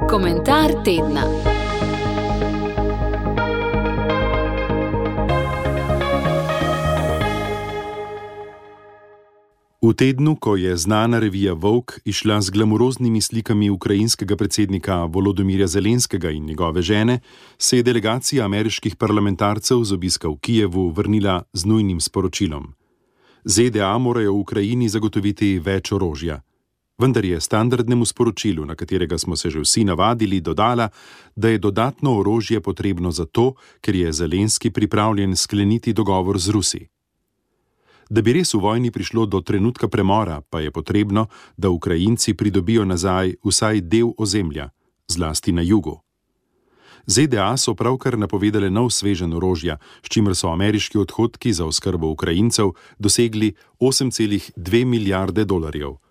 Komentar tedna. V tednu, ko je znana revija Vogue išla z glamuroznimi slikami ukrajinskega predsednika Volodomirja Zelenskega in njegove žene, se je delegacija ameriških parlamentarcev z obiska v Kijevu vrnila z nujnim sporočilom. ZDA morajo v Ukrajini zagotoviti več orožja. Vendar je standardnemu sporočilu, na katerega smo se že vsi navadili, dodala, da je dodatno orožje potrebno zato, ker je Zelenski pripravljen skleniti dogovor z Rusi. Da bi res v vojni prišlo do trenutka premora, pa je potrebno, da Ukrajinci pridobijo nazaj vsaj del ozemlja, zlasti na jugu. ZDA so pravkar napovedale nov sveženj orožja, s čimer so ameriški odhodki za oskrbo Ukrajincev dosegli 8,2 milijarde dolarjev.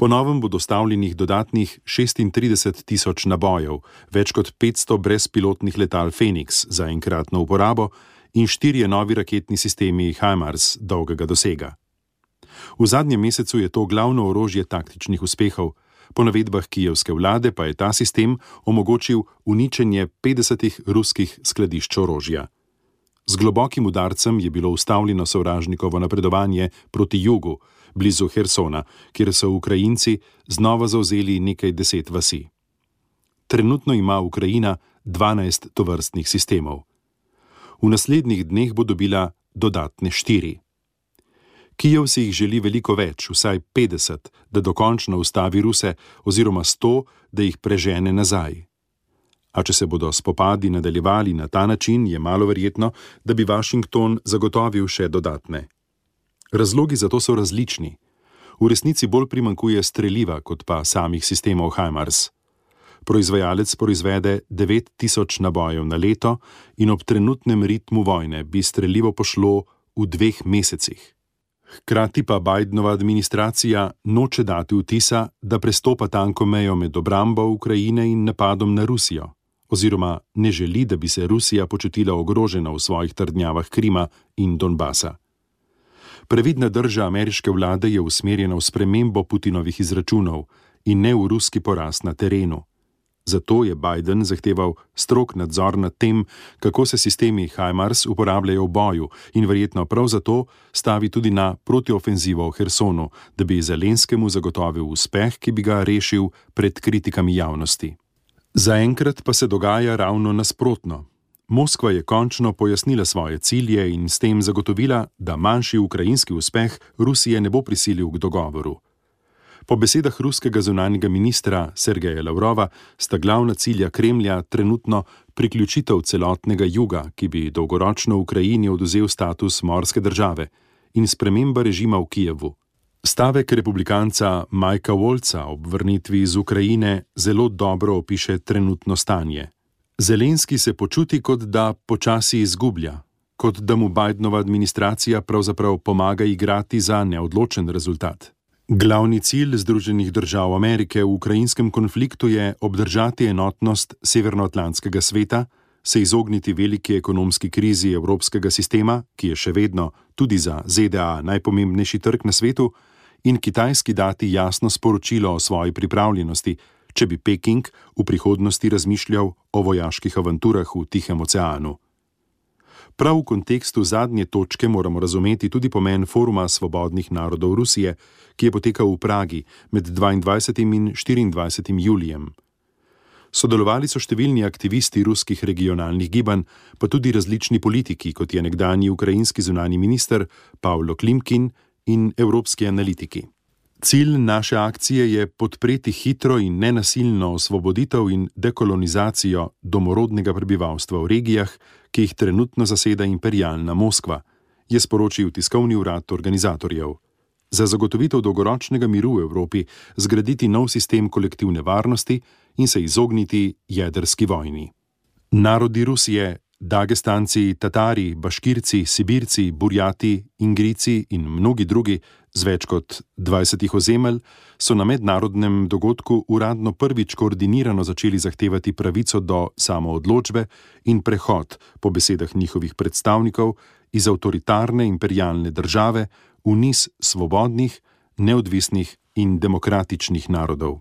Po novem bo dostavljenih dodatnih 36 tisoč nabojev, več kot 500 brezpilotnih letal Fenix za enkratno uporabo in 4 novi raketni sistemi HIMARS dolgega dosega. V zadnjem mesecu je to glavno orožje taktičnih uspehov, po navedbah kijevske vlade pa je ta sistem omogočil uničenje 50 ruskih skladišč orožja. Z globokim udarcem je bilo ustavljeno sovražnikovo napredovanje proti jugu, blizu Hersona, kjer so Ukrajinci znova zavzeli nekaj 10 vasi. Trenutno ima Ukrajina 12 tovrstnih sistemov. V naslednjih dneh bo dobila dodatne 4. Kijev si jih želi veliko več, vsaj 50, da dokončno ustavi Ruse, oziroma 100, da jih prežene nazaj. A če se bodo spopadi nadaljevali na ta način, je malo verjetno, da bi Washington zagotovil še dodatne. Razlogi za to so različni. V resnici bolj primanjkuje streliva, kot pa samih sistemov HIMARS. Proizvajalec proizvede 9000 nabojev na leto in ob trenutnem ritmu vojne bi strelivo pošlo v 2 mesecih. Hkrati pa Bidenova administracija noče dati vtisa, da prestopa tanko mejo med obrambo Ukrajine in napadom na Rusijo, oziroma ne želi, da bi se Rusija počutila ogrožena v svojih trdnjavah Krima in Donbasa. Previdna drža ameriške vlade je usmerjena v spremembo Putinovih izračunov in ne v ruski poraz na terenu. Zato je Biden zahteval strog nadzor nad tem, kako se sistemi HIMARS uporabljajo v boju in verjetno prav zato stavi tudi na protiofenzivo v Hersonu, da bi Zelenskemu zagotovil uspeh, ki bi ga rešil pred kritikami javnosti. Zaenkrat pa se dogaja ravno nasprotno. Moskva je končno pojasnila svoje cilje in s tem zagotovila, da manjši ukrajinski uspeh Rusije ne bo prisilil k dogovoru. Po besedah ruskega zunanjega ministra Sergeja Lavrova sta glavna cilja Kremlja trenutno priključitev celotnega juga, ki bi dolgoročno Ukrajini odvzel status morske države, in sprememba režima v Kijevu. Stavek republikanca Mikea Wolca ob vrnitvi iz Ukrajine zelo dobro opiše trenutno stanje. Zelenski se počuti, kot da počasi izgublja, kot da mu Bidenova administracija pravzaprav pomaga igrati za neodločen rezultat. Glavni cilj Združenih držav Amerike v ukrajinskem konfliktu je obdržati enotnost Severnoatlantskega sveta, se izogniti veliki ekonomski krizi evropskega sistema, ki je še vedno tudi za ZDA najpomembnejši trg na svetu, in Kitajski dati jasno sporočilo o svoji pripravljenosti, če bi Peking v prihodnosti razmišljal o vojaških avanturah v Tihem oceanu. Prav v kontekstu zadnje točke moramo razumeti tudi pomen Foruma svobodnih narodov Rusije, ki je potekal v Pragi med 22. in 24. julijem. Sodelovali so številni aktivisti ruskih regionalnih gibanj, pa tudi različni politiki, kot je nekdanji ukrajinski zunanji minister Pavlo Klimkin in evropski analitiki. Cilj naše akcije je podpreti hitro in nenasilno osvoboditev in dekolonizacijo domorodnega prebivalstva v regijah, ki jih trenutno zaseda imperialna Moskva, je sporočil tiskovni urad organizatorjev. Za zagotovitev dolgoročnega miru v Evropi zgraditi nov sistem kolektivne varnosti in se izogniti jedrski vojni. Narodi Rusije, Dagestanci, Tatari, Baškirci, Sibirci, Burjati, Ingrici in mnogi drugi z več kot 20 ozemelj so na mednarodnem dogodku uradno prvič koordinirano začeli zahtevati pravico do samoodločbe in prehod, po besedah njihovih predstavnikov, iz avtoritarne imperialne države v niz svobodnih, neodvisnih in demokratičnih narodov.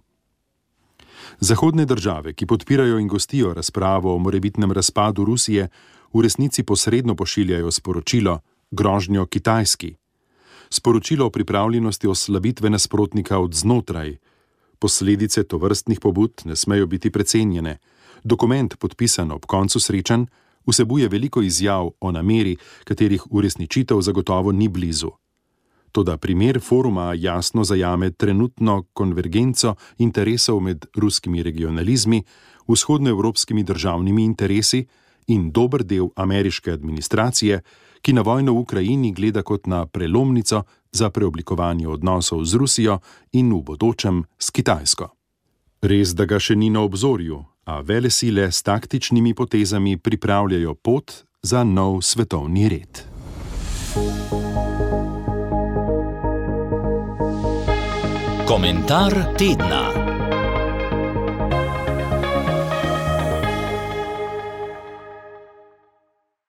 Zahodne države, ki podpirajo in gostijo razpravo o morebitnem razpadu Rusije, v resnici posredno pošiljajo sporočilo, grožnjo Kitajski. Sporočilo o pripravljenosti oslabitve nasprotnika od znotraj. Posledice tovrstnih pobud ne smejo biti precenjene. Dokument, podpisan ob koncu srečanj, vsebuje veliko izjav o nameri, katerih uresničitev zagotovo ni blizu. Toda primer foruma jasno zajame trenutno konvergenco interesov med ruskimi regionalizmi, vzhodnoevropskimi državnimi interesi in dober del ameriške administracije, ki na vojno v Ukrajini gleda kot na prelomnico za preoblikovanje odnosov z Rusijo in v bodočem s Kitajsko. Res, da ga še ni na obzorju, a velesile s taktičnimi potezami pripravljajo pot za nov svetovni red. Komentar tedna.